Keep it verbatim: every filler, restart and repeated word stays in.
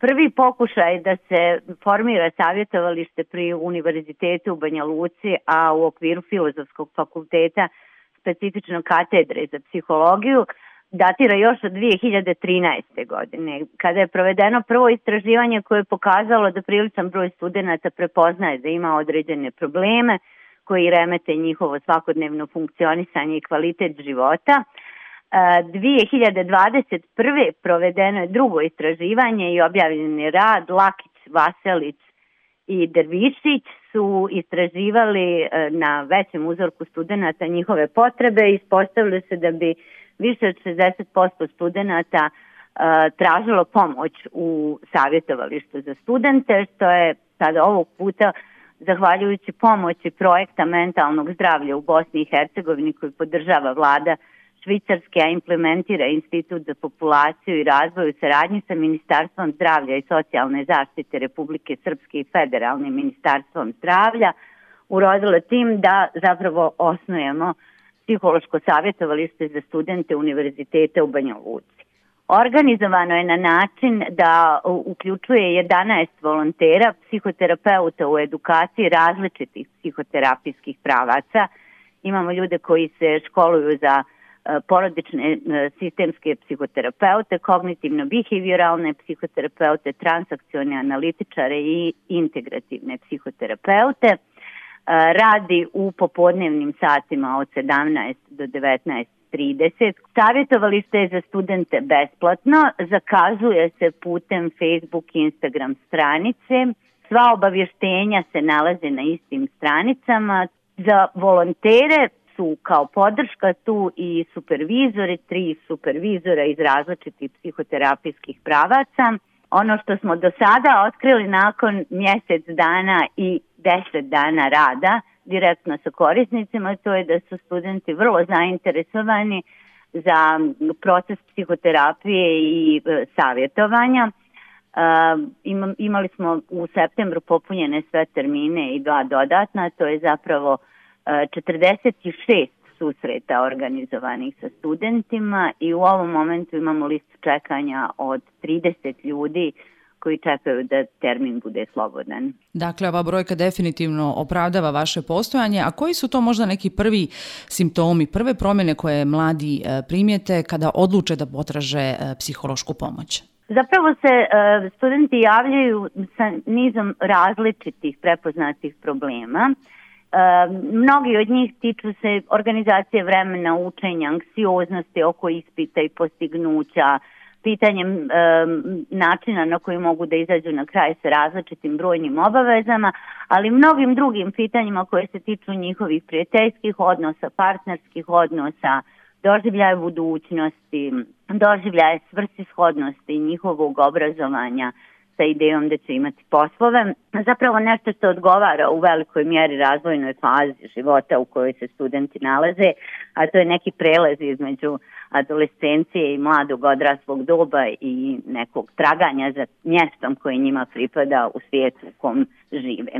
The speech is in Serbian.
prvi pokušaj da se formira savjetovalište pri Univerzitetu u Banja Luci, a u okviru Filozofskog fakulteta, specifično katedre za psihologiju, datira još od dvije hiljade trinaeste. godine, kada je provedeno prvo istraživanje koje je pokazalo da priličan broj studenata prepoznaje da ima određene probleme koji remete njihovo svakodnevno funkcionisanje i kvalitet života. dvije hiljade dvadeset prve. provedeno je drugo istraživanje i objavljen je rad. Lakić, Vaselić i Dervišić su istraživali na većem uzorku studenata njihove potrebe i ispostavilo se da bi više od šezdeset posto studenata tražilo pomoć u savjetovalištu za studente, što je sada ovog puta zahvaljujući pomoći projekta mentalnog zdravlja u Bosni i Hercegovini koji podržava vlada Švicarske, a implementira Institut za populaciju i razvoj u saradnji sa Ministarstvom zdravlja i socijalne zaštite Republike Srpske i Federalnim ministarstvom zdravlja, urodilo tim da zapravo osnujemo psihološko savjetovalište za studente Univerziteta u Banja Luci. Organizovano je na način da uključuje jedanaest volontera, psihoterapeuta u edukaciji različitih psihoterapijskih pravaca. Imamo ljude koji se školuju za porodične sistemske psihoterapeute, kognitivno-behavioralne psihoterapeute, transakcione analitičare i integrativne psihoterapeute. Radi u popodnevnim satima od sedamnaest do devetnaest trideset. Savjetovalište je za studente besplatno, zakazuje se putem Facebook i Instagram stranice. Sva obavještenja se nalaze na istim stranicama. Za volontere su kao podrška tu i supervizori, tri supervizora iz različitih psihoterapijskih pravaca. Ono što smo do sada otkrili nakon mjesec dana i deset dana rada direktno sa korisnicima, to je da su studenti vrlo zainteresovani za proces psihoterapije i e, savjetovanja. E, imali smo u septembru popunjene sve termine i dva dodatna, to je zapravo e, četrdeset šest susreta organizovanih sa studentima i u ovom momentu imamo listu čekanja od trideset ljudi koji čekaju da termin bude slobodan. Dakle, ova brojka definitivno opravdava vaše postojanje, a koji su to možda neki prvi simptomi, prve promjene koje mladi primijete kada odluče da potraže psihološku pomoć? Zapravo se studenti javljaju sa nizom različitih prepoznatih problema. Mnogi od njih tiču se organizacije vremena, učenja, anksioznosti oko ispita i postignuća, pitanjem e, načina na koji mogu da izađu na kraj sa različitim brojnim obavezama, ali mnogim drugim pitanjima koje se tiču njihovih prijateljskih odnosa, partnerskih odnosa, doživljaja budućnosti, doživljaja svrsishodnosti njihovog obrazovanja sa idejom da će imati poslove. Zapravo nešto što odgovara u velikoj mjeri razvojnoj fazi života u kojoj se studenti nalaze, a to je neki prelaz između adolescencije i mladog odraslog doba i nekog traganja za mjestom koje njima pripada u svijetu u kom žive.